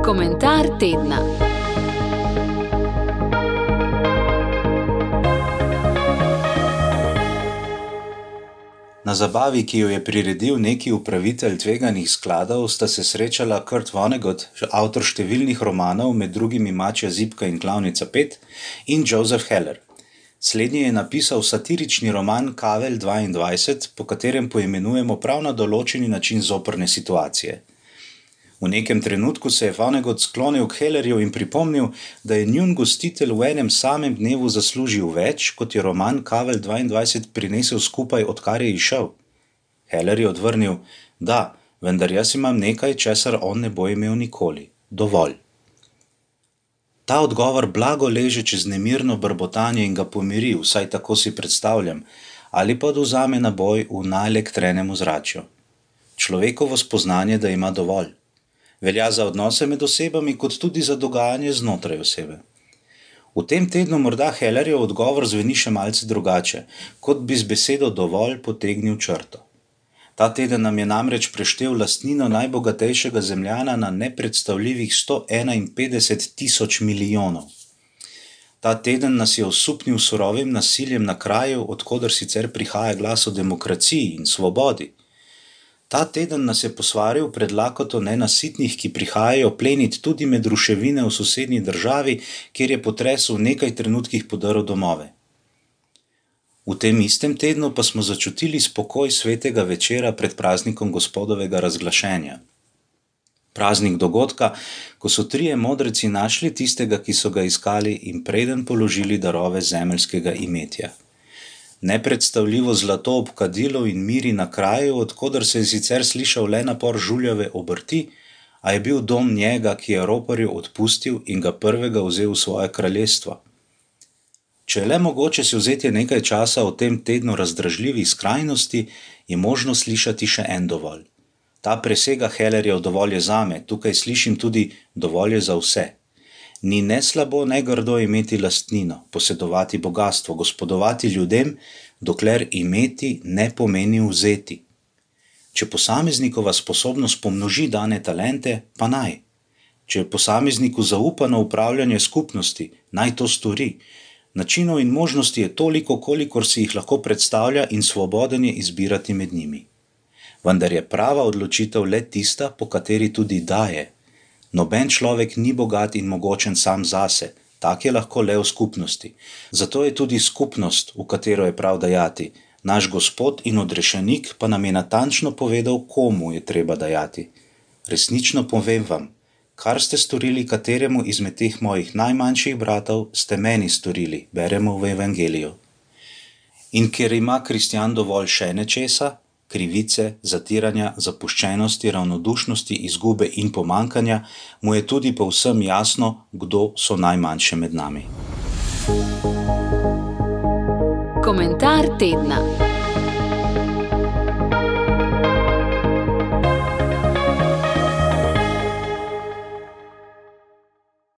Komentar tedna. Na zabavi, ki jo je priredil neki upravitelj tveganih skladov, sta se srečala Kurt Vonnegut, avtor številnih romanov, med drugimi Mačja zibka in Klavnica 5, in Joseph Heller. Slednji je napisal satirični roman Kavelj 22, po katerem poimenujemo prav na določeni način zoprne situacije. V nekem trenutku se je Vonnegut sklonil k Hellerju in pripomnil, da je njun gostitelj v enem samem dnevu zaslužil več, kot je roman Kavelj 22 prinesel skupaj, odkar je izšel. Heller je odvrnil: da, vendar jaz imam nekaj, česar on ne bo imel nikoli. Dovolj. Ta odgovor blago leže čez nemirno brbotanje in ga pomiri, vsaj tako si predstavljam, ali pa odvzame naboj v naelektrenem ozračju. Človekovo spoznanje, da ima dovolj. Velja za odnose med osebami, kot tudi za dogajanje znotraj osebe. V tem tednu morda Hellerjev odgovor zveni še malce drugače, kot bi z besedo dovolj potegnil črto. Ta teden nam je namreč preštel lastnino najbogatejšega zemljana na nepredstavljivih 151 milijonov. Ta teden nas je osupnil surovim nasiljem na kraju, od koder sicer prihaja glas o demokraciji in svobodi. Ta teden nas je posvaril pred lakoto nenasitnih, ki prihajajo plenit tudi med ruševine v sosednji državi, kjer je potres v nekaj trenutkih podrl domove. V tem istem tednu pa smo začutili spokoj svetega večera pred praznikom Gospodovega razglašenja. Praznik dogodka, ko so trije modreci našli tistega, ki so ga iskali, in preden položili darove zemeljskega imetja. Nepredstavljivo zlato ob kadilu in miri na kraju, od koder se je sicer slišal le napor žuljave obrti, a je bil dom njega, ki je roparju odpustil in ga prvega vzel v svoje kraljestvo. Če je le mogoče si vzeti nekaj časa o tem tednu razdražljivih skrajnosti, je možno slišati še en dovolj. Ta presega Hellerjev dovolj je zame, tukaj slišim tudi dovolj je za vse. Ni ne slabo, ne grdo imeti lastnino, posedovati bogastvo, gospodovati ljudem, dokler imeti ne pomeni vzeti. Če posameznikova sposobnost pomnoži dane talente, pa naj. Če je posamezniku zaupano upravljanje skupnosti, naj to stori. Načinov in možnosti je toliko, kolikor si jih lahko predstavlja, in svoboden je izbirati med njimi. Vendar je prava odločitev le tista, po kateri tudi daje. Noben človek ni bogat in mogočen sam zase, tak je lahko le v skupnosti. Zato je tudi skupnost, v katero je prav dajati. Naš Gospod in odrešenik pa nam je natančno povedal, komu je treba dajati. Resnično povem vam, kar ste storili kateremu izmed teh mojih najmanjših bratov, ste meni storili, beremo v Evangeliju. In ker ima kristjan dovolj še nečesa, krivice, zatiranja, zapuščenosti, ravnodušnosti, izgube in pomankanja, mu je tudi povsem jasno, kdo so najmanjše med nami. Komentar tedna.